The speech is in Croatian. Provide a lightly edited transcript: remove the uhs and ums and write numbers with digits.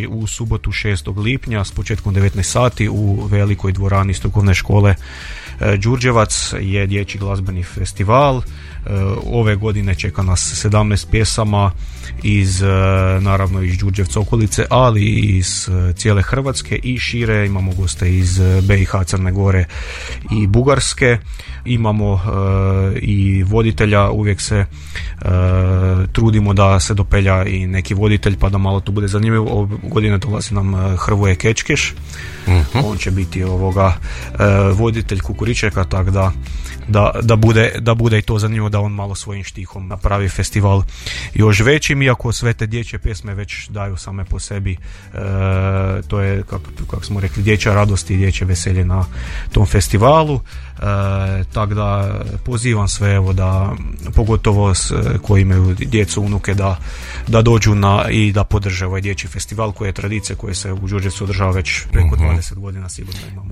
u subotu 6. lipnja s početkom 19 sati u velikoj dvorani strukovne škole Đurđevac je dječji glazbeni festival. Ove godine čeka nas 17 pjesama naravno iz Đurđevca okolice, ali i iz cijele Hrvatske i šire. Imamo goste iz BiH, Crne Gore i Bugarske. Imamo i voditelja, uvijek se trudimo da se dopelja i neki voditelj pa da malo to bude zanimljivo. Ove godine dolazi nam Hrvoje Kečkeš. On će biti voditelj Kukuričeka, tako da bude i to zanimljivo, da on malo svojim štihom napravi festival još većim, iako sve te dječje pjesme već daju same po sebi, to je kako smo rekli dječja radost i dječje veselje na tom festivalu. Tako da pozivam sve, da pogotovo koji imaju djecu, unuke, da dođu i da podrže ovaj dječji festival koji je tradicija, koja se u Đurđevcu održava već preko 20 godina sigurno imamo.